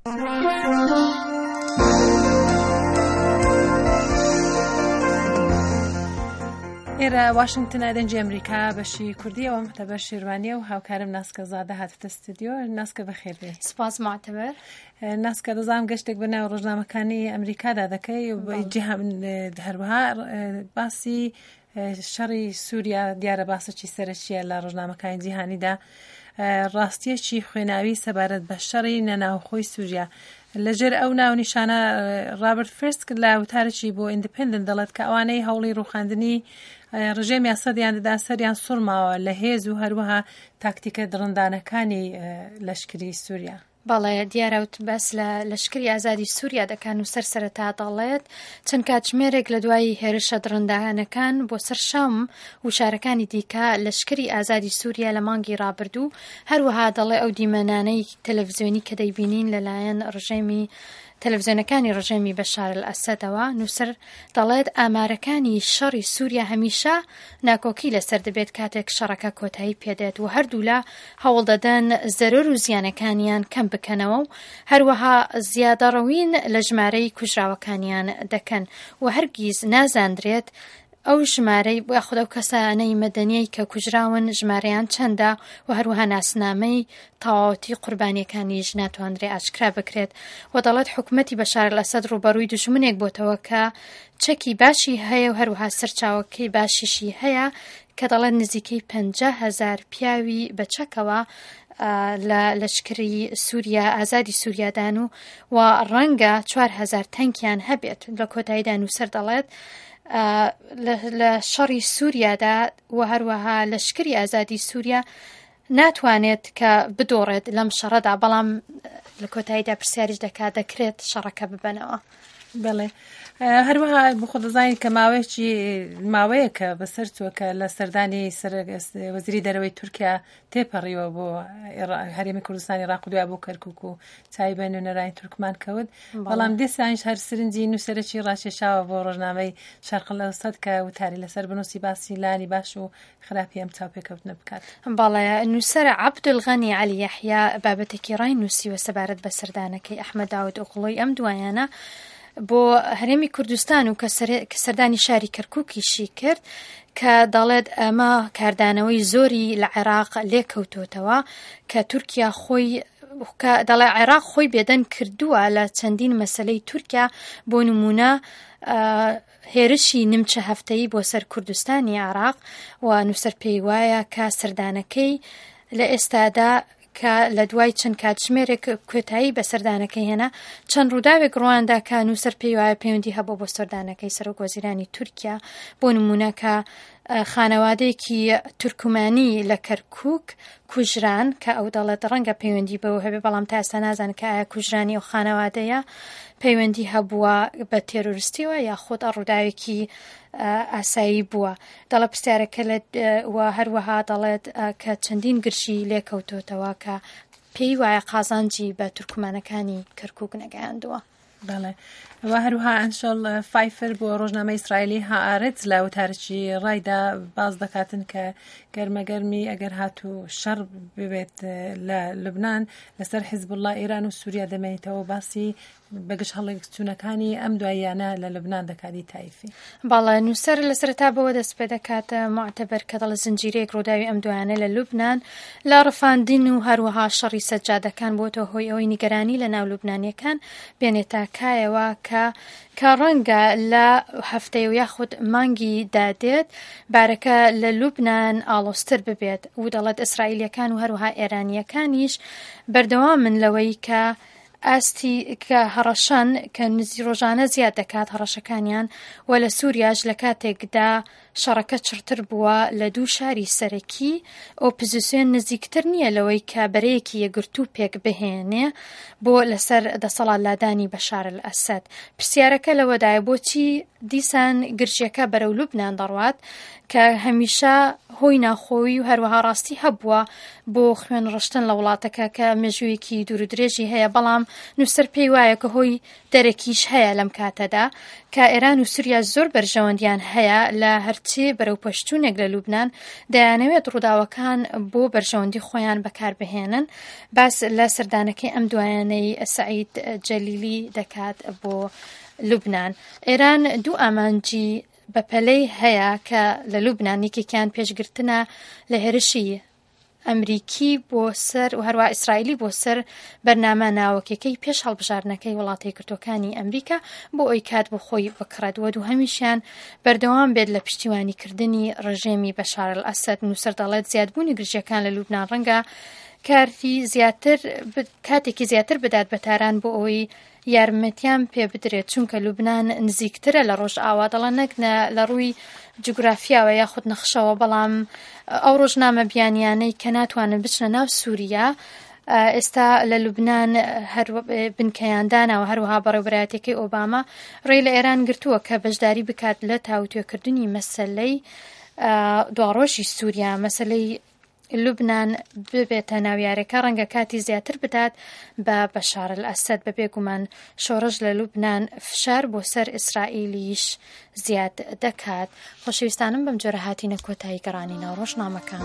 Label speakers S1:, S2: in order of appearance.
S1: ئێرە واشنگتنە دەنگی ئەمریکا بەشی کوردیەوە مەتەبەر شێروانیە و هاوکارم ناسکە زادە هاتتە ستودیۆ ناسکە بەخێر بێ
S2: سپاس معتبر
S1: ناسکە دەزانم گەشتێک بە ناو ڕۆژنامەکانی ئەمریکادا دەکەی هەروەها باسی شەڕی سووریا دیارە باسەکی سەرەکییە لە ڕۆژنامەکانی جیهانیدا ڕاستیەکی خوێناوی سەبارەت بە شەڕی نەناوخۆی سووریا لەژێر ئەو ناونیشانە ڕابرت فرسک لە وتارێکی بۆ ئیندیپندنت دەڵێت کە ئەوانەی هەوڵی ڕوخاندنی ڕژێمی ئەسەدیان دەدا سەریان سوڕماوە لە هێز و هەروەها تاکتیکە دڕندانەکانی لەشکری سووریا.
S2: بەڵێ دیارە وت باس لە لەشکری ئازادی سووریا دەکا نووسەر سەرەتا دەڵێت چەند کاتژمێرێک لە دوای هێرشە دڕندانەکان بۆ سەر شام و شارەکانی دیکە لەشکری ئازادی سووریا لە مانگی ڕابردوو هەروەها دەڵێ ئەو دیمەنانەی تەلەڤزیۆنی کە دەیبینین لەلایەن ڕژێمی تەلەڤزیۆنەکانی ڕژێمی بەشار ئەلئەسەدەوە، نووسەر دەڵێت ئامارەکانی شەڕی سووریا هەمیشە ناکۆکی لەسەر دەبێت کاتێک شەڕەکە کۆتایی پێدێت و هەردوولا هەوڵدەدەن زەرەر و زیانەکانیان کەم بکەنەوە و هەروەها زیادەڕەوین لە ژمارەی کوژراوەکانیان دەکەن و هەرگیز نازاندرێت ئەو ژمارەی یاخود ئەو کەسانەی مەدەنیەی کە کوژراون ژمارەیان چەندە و هەروەها ناسنامەی تەواوەتی قوربانیەکانیش ناتواندرێ ئاشکرا بکرێت و دەڵێت حکومەتی بەشار ئەلئەسەد ڕووبەڕووی دوژمنێک بۆتەوە کە چەکی باشی هەیە و هەروەها سەرچاوەکەی باشیشی هەیە کە دەڵێت نزیکەی 50 هەزار پیاوی بە چەکەوە لە لەشکری سووریا ئازادی سووریادان و و ڕەنگە 4هزار تەنکیان هەبێت لە کۆتاییدا نووسەر دەڵێت لە شەڕی سووریادا و هەروەها لەشکری ئازادی سووریا ناتوانێت کە بدۆڕێت لەم شەڕەدا بەڵام لە کۆتاییدا پرسیاریش دەکات دەکرێت شەڕەکە ببەنەوە.
S1: بەڵێ هەروەها بخۆ دەزانین کە ماوەیەکی ماوەیەکە بەسەر چووە کە لە سەردانی وەزیری دەرەوەی تورکیا تێپەڕیوە بۆ هەرێمی کوردستانی عێراق و دوای بۆ کەرکوک و چاوی بە نوێنەرانی تورکمان کەوت بەڵام دیسانیش هەر سرنجی نووسەرێکی ڕاکێشاوە بۆ ڕۆژنامەی شەرق الئەوسەت کە وتاری لەسەر بنووسی باسی لانی باش و خراپی ئەم چاوپێکەوتنە بکات.
S2: بەڵێ نووسەر عەبدولغەنی عەلی یەحیا بابەتێکی ڕای نووسیوە سەبارەت بە سەردانەکەی ئەحمەد داود ئۆغڵۆی ئەم دوایانە بۆ هەرێمی کوردستان و کە سەردانی شاری کەرکووکیشی کرد کە دەڵێت ئەمە کاردانەوەی زۆری لە عێراق لێکەوتۆتەوە کە تورکیا خۆی کە دەڵێ عێراق خۆی بێدەنگ کردووە لە چەندین مەسلەی تورکیا بۆ نمونە هێرشی نمچە هەفتەیی بۆ سەر کوردستانی عێراق و نووسەر پێی وایە کە سەردانەکەی لە ئێستادا کە لە دوای چەند کاتژمێرێک کۆتایی بە سەردانەکەی هێنا، چەند ڕووداوێک ڕوویاندا کە نووسەر پێی وایە پەیوەندی هەبووە بۆ سەردانەکەی سەرۆک وەزیرانی تورکیا، بۆ نموونە کە خانەوادەیەکی تورکمانی لە کەرکووک کوژران کە ئەو دەڵێت ڕەنگە پەیوەندی بەوە هەبێ بەڵام تا ئێستا نازانن کە ئایا کوژرانی ئەو خانەوادەیە پەیوەندی هەبووە بە تێرۆریستیەوە یاخود ڕووداوێکی ئاسایی بووە. دەڵێ پرسیارەکە لە و هەروەها دەڵێت کە چەندین گرژی لێکەوتۆتەوە کە پێی وایە قازانجی بە تورکمانەکانی کەرکک نەگەیاندووە.
S1: بەڵێ و هەروها ئەنشۆل فایفر بۆ ڕۆژنامە ئیسرائیلی هاارێت لە وتارێکی ڕایدا باز دەکاتن کە گەرمەگەرمی ئەگەر هاتوو شەڕ ببێت لە لوبناان لەسەر حیزب الله ئێران و سووریا دەمێنیتەوە باسی بەگژ هەڵچوونەکانی ئەم دواییانە لە لوبنان دەکات ی تایفی.
S2: بەڵێ، نووسەر لە سەرەتا بەوە دەست پێ دەکات، موعتەبەر کە دەڵێ زنجیرەیەک ڕووداوی ئەم دوایانە لە لوبنان لە ڕفاندن و هەروەها شەڕی سەجادەکان بۆتە هۆی ئەوەی نیگەرانی لە ناو لوبنانییەکان بێنێتە کایەوە کە کە ڕەنگە لە هەفتەی و یاخود مانگی دادێت بارەکە لە لوبنان ئاڵۆزتر ببێت و دەڵێت ئیسرائیلییەکان و هەروەها ئێرانییەکانیش بەردەوامن لەوەی کە ئاستی کە هەڕەشەن کە نزی ڕۆژانە زیاد دەکات هەڕەشەکانیان و لە سووریاش لە کاتێکدا شەڕەکە چڕتر بووە لە دوو شاری سەرەکی ئۆپزسیۆن نزیکتر نییە لەوەی کە بەرەیەکی یەکگرتوو پێک بهێنێ بۆ لەسەر دەسەڵات لادانی بەشار ئەسەد پرسیارەکە لەوەدایە بۆچی دیسان گرژیەکە بەرەو لوبنان دەڕوات کە هەمیشە هۆی ناخۆیی و هەروەها ڕاستی هەبووە بۆ خوێن ڕشتن لە وڵاتەکە کە مێژوویەکی دوور و درێژی هەیە بەڵام نووسەر پێی وایە کە هۆی دەرەکیش هەیە لەم کاتەدا کە ئێران و سووریا زۆر بەرژەوەندیان هەیە لە هەر هەرچی بەرەوپێشچوونێک لە لوبناان دەیانەوێت ڕووداوەکان بۆ بەرژەوەندی خۆیان بەکاربهێنن باس لە سەردانەکەی ئەم دوایانەی سەعید جەلیلی دەکات بۆ لوبناان. ئێران دوو ئامانجی بەپەلەی هەیە کە لە لوبناان یەکێکیان پێشگرتنە لە هێرشی ئەمریکی بۆ سەر و هەروە ئیسرائیلی بۆ سەر بەرنامە ناوەکیەکەی پێش هەڵبژاردنەکەی وڵاتە یەکگرتووەکانی ئەمریکا بۆ ئەوی کات بۆ خۆی بکڕێت و دووهەمیشیان بەردەوام بێت لە پشتیوانیکردنی ڕژێمی بەشار ئەلئەسەد. نووسەر دەڵێت زیادبوونی گرژیەکان لە لوبنان ڕەنگە کارتی زیاتر کاتێکی زیاتر بدات بە تاران بۆ ئەوەی یارمەتیان پێ بدرێت چونکە لوبناان نزیکترە لە ڕۆژئاوا دەڵێن نەک لە ڕووی جوگرافیاوە یاخود نەخشەوە بەڵام ئەو ڕۆژنامە بیانیانەی کە ناتوانن بچنە ناو سووریا ئێستا لە لوبناان هەر بنکەیان داناوە هەروەها بەڕێوبەرایەتەکەی ئۆباما ڕێی لە ئێران گرتووە کە بەشداری بکات لە تاوتوێکردنی مەسەلەی دواڕۆژی سووریا مەسەلەی لوبنان ببێتە ناو یاریەکە ڕەنگە کاتی زیاتر بدات بە بەشار ئەسەد بە بێگومان شۆڕش لە لوبنان فشار بۆ سەر ئیسرائیلیش زیاد دەکات خۆشەویستانم بەم جۆرە هاتینە کۆتایی گەڕانی ناو ڕۆژنامەکان.